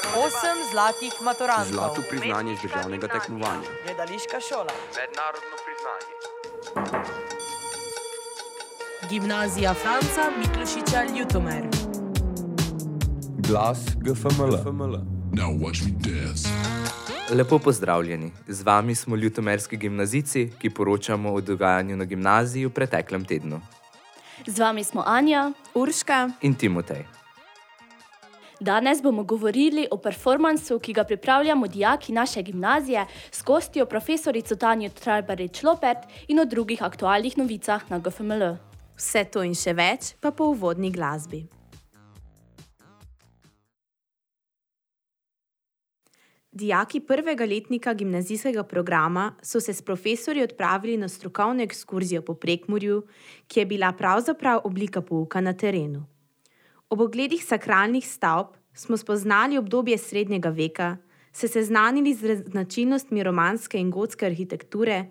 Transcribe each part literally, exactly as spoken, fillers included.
Osem zlatih maturantov. Zlato priznanje z državnega tekmovanja. Gledališka šola. Mednarodno priznanje. Gimnazija Franca Miklošiča Ljutomer. Glas G F M L. Now watch me dance. Lepo pozdravljeni. Z vami smo ljutomerski gimnazijci, ki poročamo o dogajanju na gimnaziji v preteklem tednu. Z vami smo Anja, Urška In Timotej. Danes bomo govorili o performansu, ki ga pripravljamo dijaki naše gimnazije s gostjo profesorico Tanjo Trajbarič-Lopert in o drugih aktualnih novicah na G F M L. Vse to in še več pa po uvodni glasbi. Dijaki prvega letnika gimnazijskega programa so se s profesorji odpravili na strokovno ekskurzijo po Prekmurju, ki je bila pravzaprav oblika pouka na terenu. Ob ogledih sakralnih stavb smo spoznali obdobje srednjega veka, se seznanili z značilnostmi romanske in gotske arhitekture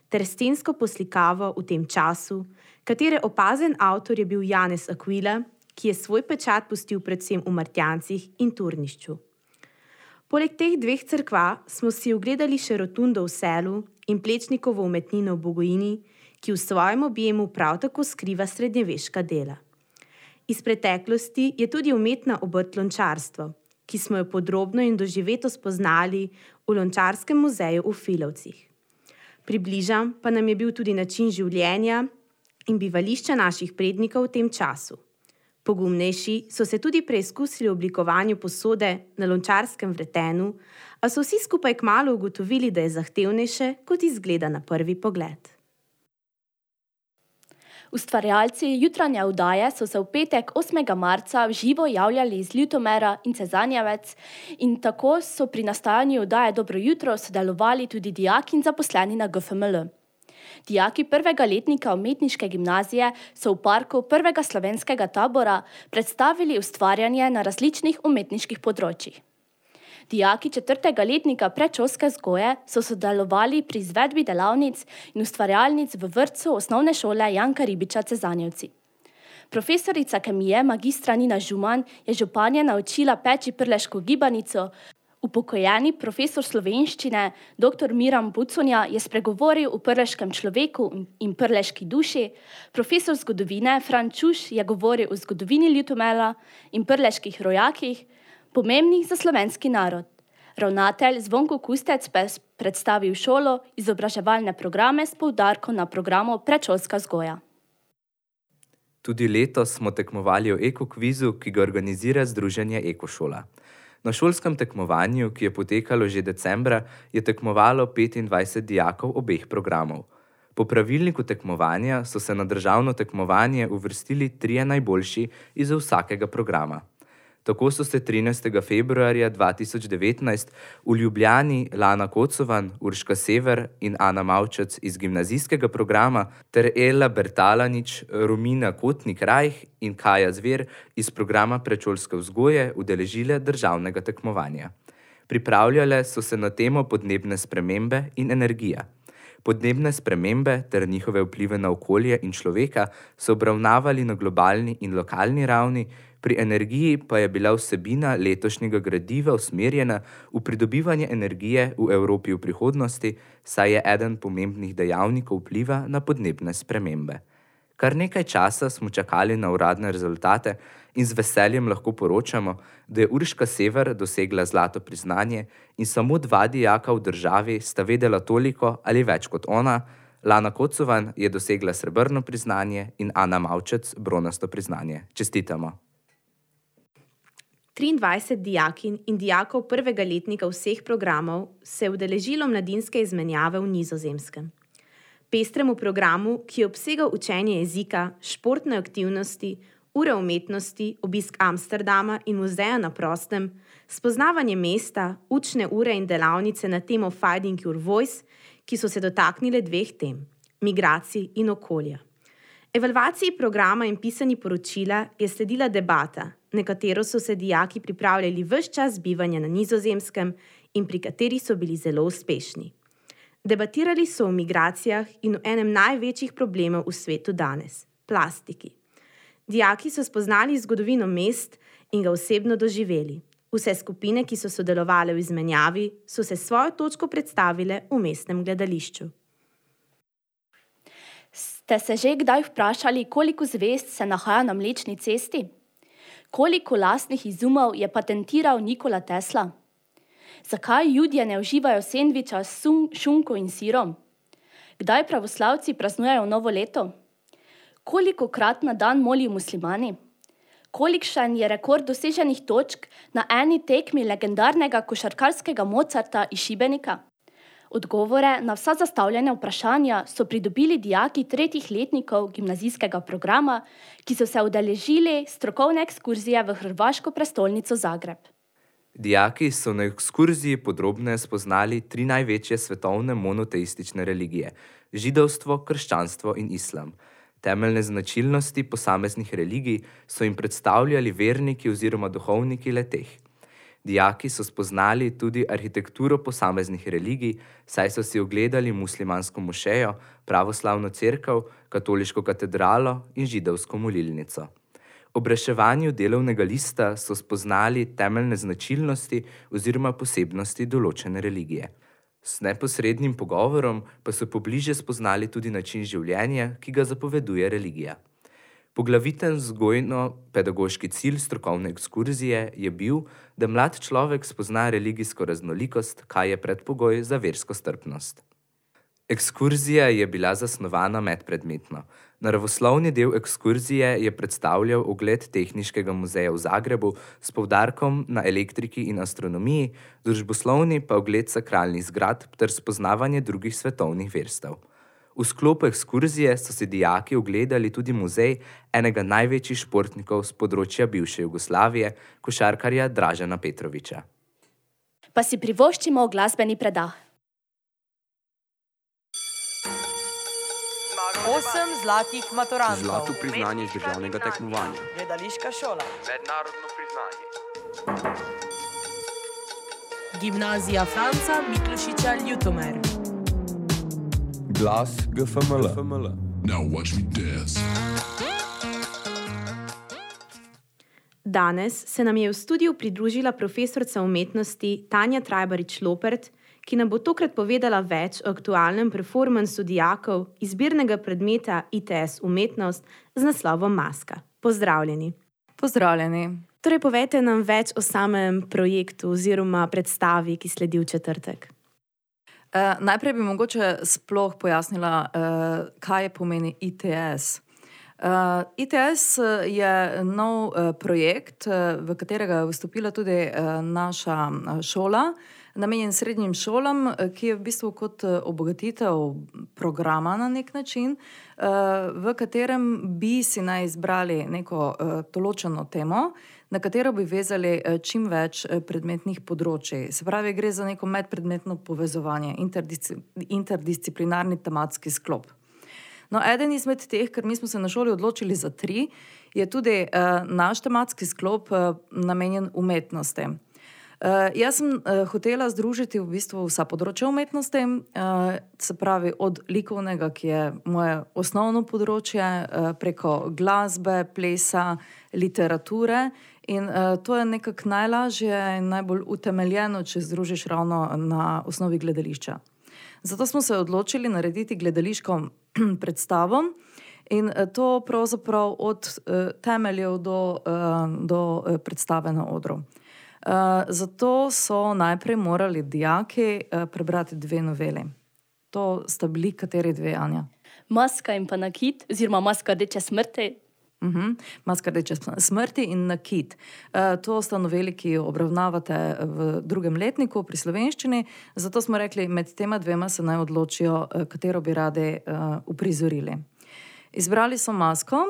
ter stensko poslikavo v tem času, katere opazen avtor je bil Janez Aquila, ki je svoj pečat pustil predvsem v Martjancih in Turnišču. Poleg teh dveh cerkva smo si ogledali še rotundo v Selu in Plečnikovo umetnino v Bogojini, ki v svojem objemu prav tako skriva srednjeveška dela. Iz preteklosti je tudi umetna obrt lončarstvo, ki smo jo podrobno in doživeto spoznali v Lončarskem muzeju v Filovcih. Približan pa nam je bil tudi način življenja in bivališča naših prednikov v tem času. Pogumnejši so se tudi preizkusili v oblikovanju posode na lončarskem vretenu, a so vsi skupaj kmalu ugotovili, da je zahtevnejše, kot izgleda na prvi pogled. Ustvarjalci jutranje oddaje so se v petek osmega marca v živo javljali iz Ljutomera in Cezanjevec in tako so pri nastajanju oddaje Dobro jutro sodelovali tudi dijaki in zaposleni na G F M L. Dijaki prvega letnika umetniške gimnazije so v parku prvega slovenskega tabora predstavili ustvarjanje na različnih umetniških področjih. Dijaki četrtega letnika predšolske vzgoje so sodelovali pri izvedbi delavnic in ustvarjalnic v vrtcu osnovne šole Janka Ribiča Cezanjevci. Profesorica kemije magistra Nina Žuman je županje naučila peči prleško gibanico. Upokojeni profesor slovenščine dr. Miran Buconja je spregovoril o prleškem človeku in prleški duši, profesor zgodovine Fran Čuš je govoril o zgodovini Ljutomera in prleških rojakih, pomembnih za slovenski narod. Ravnatelj Zvonko Kustec pa je predstavil šolo izobraževalne programe s poudarkom na programu predšolska vzgoja. Tudi letos smo tekmovali o ekokvizu, ki ga organizira Združenje Ekošola. Na šolskem tekmovanju, ki je potekalo že decembra, je tekmovalo petindvajset dijakov obeh programov. Po pravilniku tekmovanja so se na državno tekmovanje uvrstili trije najboljši iz vsakega programa. Tako so se trinajstega februarja dva tisoč devetnajst v Ljubljani Lana Kocovan, Urška Sever in Ana Mavčec iz gimnazijskega programa ter Ela Bertalanič, Romina Kotnik-Rajh in Kaja Zver iz programa predšolske vzgoje udeležile državnega tekmovanja. Pripravljale so se na temo podnebne spremembe in energija. Podnebne spremembe ter njihove vplive na okolje in človeka so obravnavali na globalni in lokalni ravni, pri energiji pa je bila vsebina letošnjega gradiva usmerjena v pridobivanje energije v Evropi v prihodnosti, saj je eden pomembnih dejavnikov vpliva na podnebne spremembe. Kar nekaj časa smo čakali na uradne rezultate in z veseljem lahko poročamo, da je Urška Sever dosegla zlato priznanje in samo dva dijaka v državi sta vedela toliko ali več kot ona. Lana Kocovan je dosegla srebrno priznanje in Ana Mavčec bronasto priznanje. Čestitamo! triindvajset dijakinj in dijakov prvega letnika vseh programov se je udeležilo mladinske izmenjave v Nizozemskem. Pestremu programu, ki je obsegal učenje jezika, športne aktivnosti, ure umetnosti, obisk Amsterdama in muzeja na prostem, spoznavanje mesta, učne ure in delavnice na temo Finding Your Voice, ki so se dotaknile dveh tem, migracij in okolja. Evalvaciji programa in pisanju poročila je sledila debata, na katero so se dijaki pripravljali ves čas bivanja na Nizozemskem in pri kateri so bili zelo uspešni. Debatirali so o migracijah in o enem največjih problemov v svetu danes, plastiki. Dijaki so spoznali zgodovino mest in ga osebno doživeli. Vse skupine, ki so sodelovale v izmenjavi, so se svojo točko predstavile v mestnem gledališču. Ste se že kdaj vprašali, koliko zvezd se nahaja na Mlečni cesti? Koliko lastnih izumov je patentiral Nikola Tesla? Zakaj Judje ne uživajo sendviča s šunko in sirom? Kdaj pravoslavci praznujejo novo leto? Kolikokrat na dan molijo muslimani? Kolikšen je rekord doseženih točk na eni tekmi legendarnega košarkarskega Mozarta iz Šibenika? Odgovore na vsa zastavljena vprašanja so pridobili dijaki tretjih letnikov gimnazijskega programa, ki so se udeležili strokovne ekskurzije v hrvaško prestolnico Zagreb. Dijaki so na ekskurziji podrobneje spoznali tri največje svetovne monoteistične religije: židovstvo, krščanstvo in islam. Temeljne značilnosti posameznih religij so jim predstavljali verniki oziroma duhovniki le-teh. Dijaki so spoznali tudi arhitekturo posameznih religij, saj so si ogledali muslimansko mošejo, pravoslavno cerkev, katoliško katedralo in židovsko molilnico. Ob reševanju delovnega lista so spoznali temeljne značilnosti oziroma posebnosti določene religije. S neposrednim pogovorom pa so pobliže spoznali tudi način življenja, ki ga zapoveduje religija. Poglaviten vzgojno-pedagoški cilj strokovne ekskurzije je bil, da mlad človek spozna religijsko raznolikost, kaj je predpogoj za versko strpnost. Ekskurzija je bila zasnovana medpredmetno. Naravoslovni del ekskurzije je predstavljal ogled Tehniškega muzeja v Zagrebu s poudarkom na elektriki in astronomiji, družboslovni pa ogled sakralnih zgradb ter spoznavanje drugih svetovnih verstev. V sklopu ekskurzije so si dijaki ogledali tudi muzej enega največjih športnikov z področja bivše Jugoslavije, košarkarja Dražena Petrovića. Pa si privoščimo glasbeni predah. Osem zlatih maturantov. Zlato priznanje iz državnega tekmovanja. Gledališka šola. Mednarodno priznanje. Gimnazija Franca Miklošiča Ljutomer. Glas G F M L. Now watch me dance. Danes se nam je v studiu pridružila profesorica umetnosti Tanja Trajbarič-Lopert, ki nam bo tokrat povedala več o aktualnem performansu dijakov izbirnega predmeta I T S umetnost z naslovom Maska. Pozdravljeni. Pozdravljeni. Torej, povejte nam več o samem projektu oziroma predstavi, ki sledi v četrtek. Uh, najprej bi mogoče sploh pojasnila, uh, kaj pomeni I T S. Uh, I T S je nov uh, projekt, uh, v katerega je vstopila tudi uh, naša uh, šola, namenjen srednjim šolam, uh, ki je v bistvu kot uh, obogatitev programa na nek način, uh, v katerem bi si naj izbrali neko uh, določeno temo, na katero bi vezali čim več predmetnih področij. Se pravi, gre za neko medpredmetno povezovanje, interdisci- interdisciplinarni tematski sklop. No, eden izmed teh, ker mi smo se na šoli odločili za tri, je tudi uh, naš tematski sklop uh, namenjen umetnosti. Uh, jaz sem uh, hotela združiti v bistvu vsa področja umetnosti, uh, se pravi od likovnega, ki je moje osnovno področje, uh, preko glasbe, plesa, literature. In uh, to je nekako najlažje in najbolj utemeljeno, če združiš ravno na osnovi gledališča. Zato smo se odločili narediti gledališko predstavo in uh, to pravzaprav od uh, temeljev do, uh, do uh, predstave na odru. Uh, zato so najprej morali dijaki uh, prebrati dve noveli. To sta bili kateri dve, Anja? Maska in pa nakit, oziroma Maska rdeče smrti. Uh-huh. Maska rdeče smrti in nakit. Uh, to sta noveli, ki jo obravnavate v drugem letniku pri slovenščini, zato smo rekli, med tema dvema se naj odločijo, uh, katero bi radi uh, uprizorili. Izbrali so Masko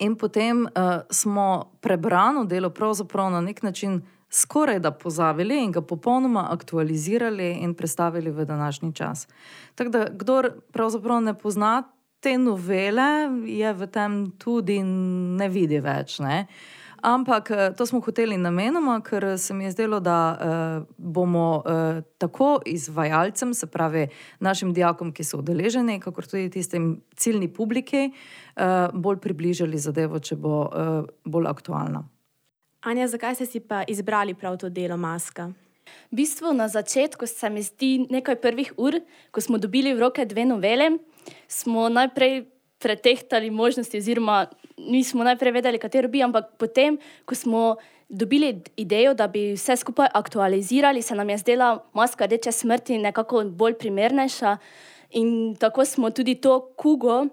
in potem uh, smo prebrano delo pravzaprav na nek način skoraj da pozabili in ga popolnoma aktualizirali in predstavili v današnji čas. Tako da, kdor pravzaprav ne pozna te novele, je v tem tudi ne vidi več, ne? Ampak to smo hoteli namenoma, ker se mi je zdelo, da uh, bomo uh, tako izvajalcem, se pravi našim dijakom, ki so udeleženi, kakor tudi tistim ciljni publiki, uh, bolj približali zadevo, če bo uh, bolj aktualna. Anja, zakaj ste si pa izbrali prav to delo Maska? V bistvu na začetku se mi zdi nekaj prvih ur, ko smo dobili v roke dve novele, smo najprej pretehtali možnosti oziroma nismo najprej vedeli, katero bi, ampak potem, ko smo dobili idejo, da bi vse skupaj aktualizirali, se nam je zdela Maska rdeče smrti nekako bolj primernejša in tako smo tudi to kugo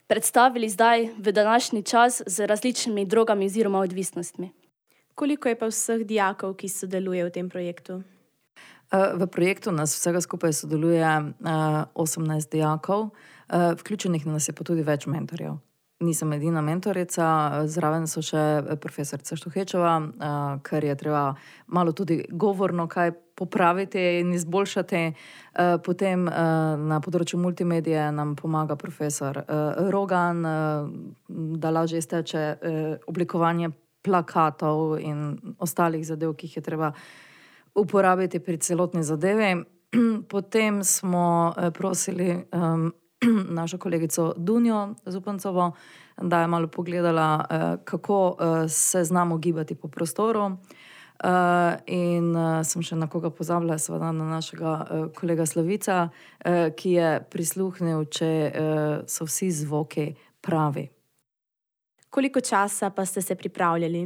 predstavili zdaj v današnji čas z različnimi drogami oziroma odvisnostmi. Koliko je pa vseh dijakov, ki sodeluje v tem projektu? V projektu nas vsega skupaj sodeluje osemnajst dijakov, vključenih nas je pa tudi več mentorjev. Nisem edina mentorica, zraven so še profesorica Štuhečeva, ker je treba malo tudi govorno kaj popraviti in izboljšati. Potem na področju multimedije nam pomaga profesor Rogan, da lažje izteče oblikovanje plakatov in ostalih zadev, ki jih je treba uporabiti pri celotni zadevi. Potem smo prosili um, našo kolegico Dunjo Zupancovo, da je malo pogledala, uh, kako uh, se znamo gibati po prostoru. Uh, in uh, sem še na koga pozabila, seveda na našega uh, kolega Slavica, uh, ki je prisluhnil, če uh, so vsi zvoki pravi. Koliko časa pa ste se pripravljali?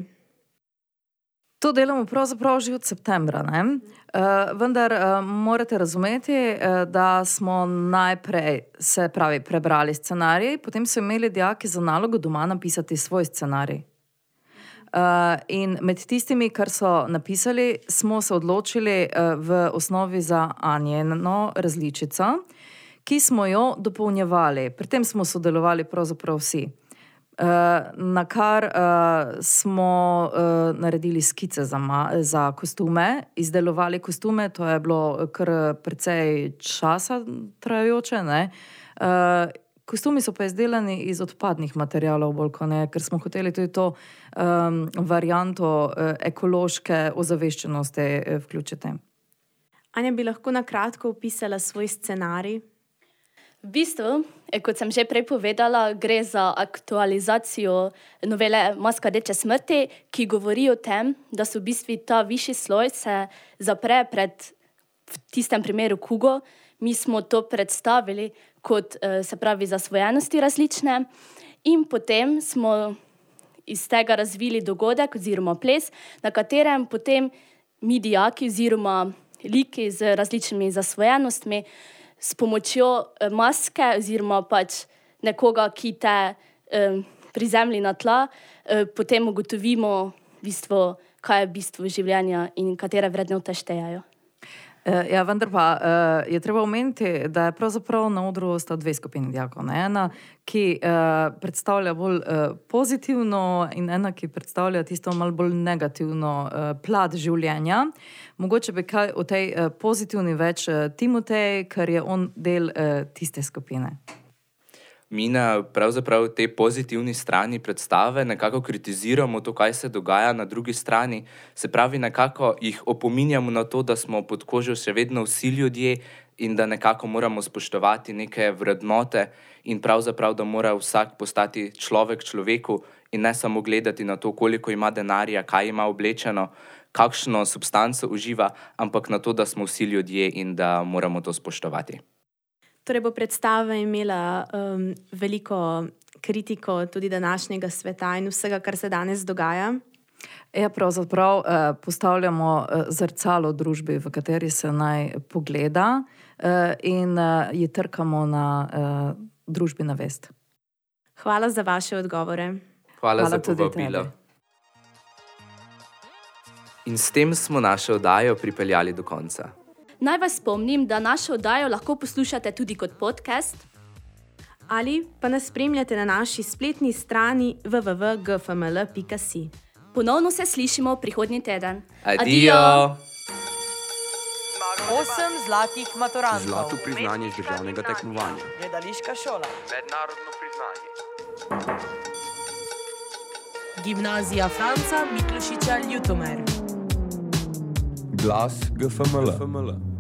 To delamo pravzaprav že od septembra, ne? Uh, vendar uh, morate razumeti, uh, da smo najprej se pravi prebrali scenarij, potem so imeli dijaki za nalogo doma napisati svoj scenarij. Uh, in med tistimi, kar so napisali, smo se odločili uh, v osnovi za Anjeno različico, ki smo jo dopolnjevali. Pri tem smo sodelovali pravzaprav vsi. Uh, na kar uh, smo uh, naredili skice za, ma, za kostume, izdelovali kostume, to je bilo kar precej časa trajajoče, ne? Uh, kostumi so pa izdelani iz odpadnih materialov, bolj kot ne, ker smo hoteli tudi to um, varianto uh, ekološke ozaveščenosti uh, vključiti. Anja, bi lahko na kratko opisala svoj scenarij? V bistvu, kot sem že prej povedala, gre za aktualizacijo novele Maska rdeče smrti, ki govori o tem, da se v bistvu ta višji sloj se zapre pred, v tistem primeru kugo. Mi smo to predstavili kot, se pravi, zasvojenosti različne in potem smo iz tega razvili dogodek oziroma ples, na katerem potem mi dijaki oziroma liki z različnimi zasvojenostmi s pomočjo maske oziroma pač nekoga, ki te eh, prizemlji na tla, eh, potem ugotovimo v bistvu, kaj je bistvo življenja in katere vrednote štejajo. Ja, vendar pa uh, je treba omeniti, da je pravzaprav na odru sta dve skupini dijakov. Ena, ki uh, predstavlja bolj uh, pozitivno in ena, ki predstavlja tisto malo bolj negativno uh, plat življenja. Mogoče bi kaj o tej uh, pozitivni več uh, Timotej, ker je on del uh, tiste skupine. Mi na pravzaprav tej pozitivni strani predstave nekako kritiziramo to, kaj se dogaja na drugi strani. Se pravi, nekako jih opominjamo na to, da smo pod kožo še vedno vsi ljudje in da nekako moramo spoštovati neke vrednote in pravzaprav, da mora vsak postati človek človeku in ne samo gledati na to, koliko ima denarja, kaj ima oblečeno, kakšno substanco uživa, ampak na to, da smo vsi ljudje in da moramo to spoštovati. Torej bo predstava imela um, veliko kritiko tudi današnjega sveta in vsega, kar se danes dogaja. Ja, pravzaprav eh, postavljamo eh, zrcalo družbi, v kateri se naj pogleda eh, in eh, ji trkamo na eh, družbena vest. Hvala za vaše odgovore. Hvala, Hvala za tudi povabilo. tebi. In s tem smo našo oddajo pripeljali do konca. Naj vas spomnim, da našo oddajo lahko poslušate tudi kot podcast. Ali pa nas spremljate na naši spletni strani w w w pika g f m l pika s i. Ponovno se slišimo prihodnji teden. Adijo! Osem zlatih maturantov. Zlato priznanje z državnega tekmovanja. Gledališka šola. Mednarodno priznanje. Gimnazija Franca Miklošiča Ljutomer. Glas G F M L.